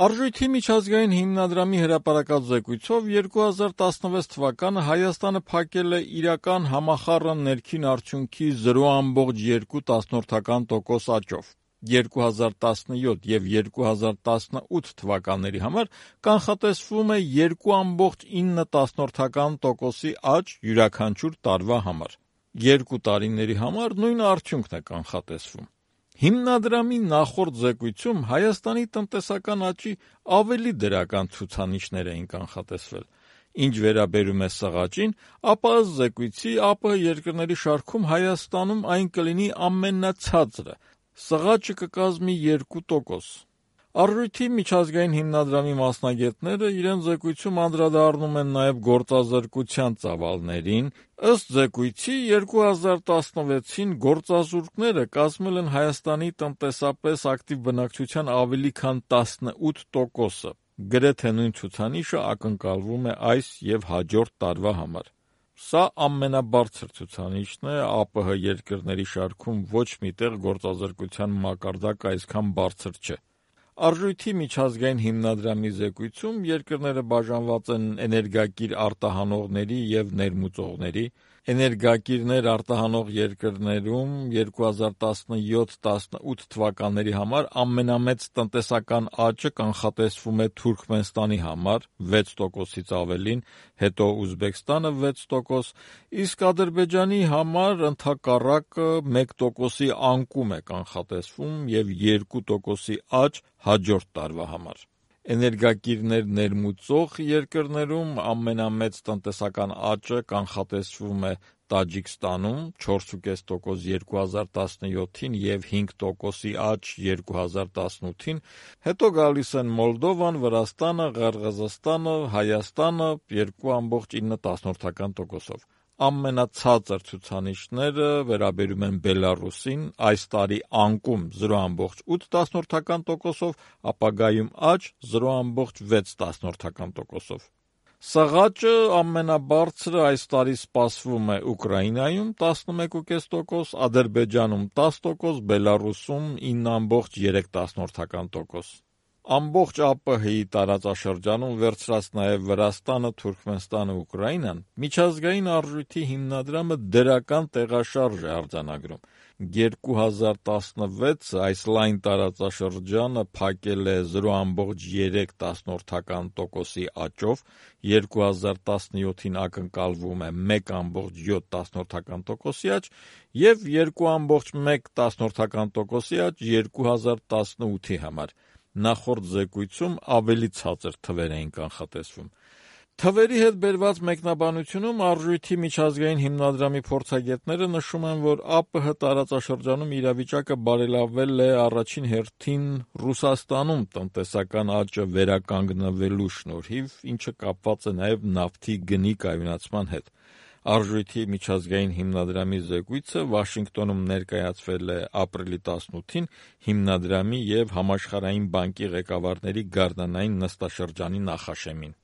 Արժույթի միջազգային հիմնադրամի հրապարակած զեկույցով 2016 թվականը Հայաստանը փակել է իրական համախառն ներքին արդյունքի 0,2% աճով։ 2017 և 2018 թվականների համար կանխատեսվում է 2,9% աճ յուրաքանչյուր տարվա համար։ Երկու տարիների համար նույն արդյունքն է կանխատեսվում։ Հիմնադրամի նախորդ զեկույցում Հայաստանի տնտեսական աճի ավելի դրական ցուցանիշներ էին կանխատեսվել։ Ինչ վերաբերում է սղաճին, ապա ըստ զեկույցի ԱՊՀ երկրների շարքում Հայաստանում այն կլինի ամենացածրը, սղաճը կկազմի 2%։ Արժույթի միջազգային հիմնադրամի մասնագետները իրենց զեկույցում անդրադառնում են նաև գործազրկության ծավալներին։ Ըստ զեկույցի 2016-ին գործազուրկները կազմել են Հայաստանի տնտեսապես ակտիվ բնակչության ավելի քան 18%-ը։ Գրեթե նույն ցուցանիշը ակնկալվում է այս և հաջորդ տարվա համար։ Սա ամենաբարձր ցուցանիշն է ԱՊՀ երկրների շարքում, ոչ մի տեղ գործազրկության մակարդակը այսքան բարձր չէ։ Արժույթի միջազգային հիմնադրամի զեկույցում երկրները բաժանված են էներգակիր արտահանողների և ներմուծողների։ Էներգակիրներ արտահանող երկրներում 2017-18 թվականների համար ամենամեծ տնտեսական աճը կանխատեսվում է Թուրքմենստանի համար 6%-ից ավելին, հետո Ուզբեկստանը 6%, իսկ Ադրբեջանի համար ընդհակառակը 1%-ի անկում է կանխատեսվում և 2%-ի աճ հաջորդ տարվա համար։ Էներգակիրներ ներմուծող երկրներում ամենամեծ տնտեսական աճը կանխատեսվում է Տաջիկստանում 4,5% 2017-ին և 5%-ի աճ 2018-ին, հետո գալիս են Մոլդովան, Վրաստանը, Ղրղզստանը, Հայաստանը 2,9%-ով։ Ամենացածր ցուցանիշները վերաբերում են Բելառուսին, այս տարի անկում 0,8%-ով, ապագայում աճ 0,6%-ով։ Սղաճը ամենաբարձրը այս տարի սպասվում է Ուկրաինայում 11,5%, Ադրբեջանում 10%, Բելառուսում 9,3%։ Ամբողջ ԱՊՀ-ի տարածաշրջանում վերցրած նաև Վրաստանը, Թուրքմենստանը, Ուկրաինան, միջազգային արժույթի հիմնադրամը դրական տեղաշարժ է արձանագրում։ 2016 այս լայն տարածաշրջանը փակել է 0,3%-ի աճով, 2017-ին ակնկալվում է 1,7%-ի աճ և 2,1%-ի աճ 2018-ի համար։ Նախորդ զեկույցում ավելի ցածր թվեր էին կանխատեսվում։ Թվերի հետ բերված մեկնաբանությունում Արժույթի միջազգային հիմնադրամի փորձագետները նշում են, որ ԱՊՀ տարածաշրջանում իրավիճակը բարելավվել է առաջին հերթին Ռուսաստանում տնտեսական աճը վերականգնվելու շնորհիվ, ինչը կապված է նաև նավթի գնի կայունացման հետ։ Արժույթի միջազգային հիմնադրամի զեկույցը Վաշինգտոնում ներկայացվել է ապրիլի 18-ին հիմնադրամի և Համաշխարհային բանկի ղեկավարների գարնանային նստաշրջանի նախաշեմին։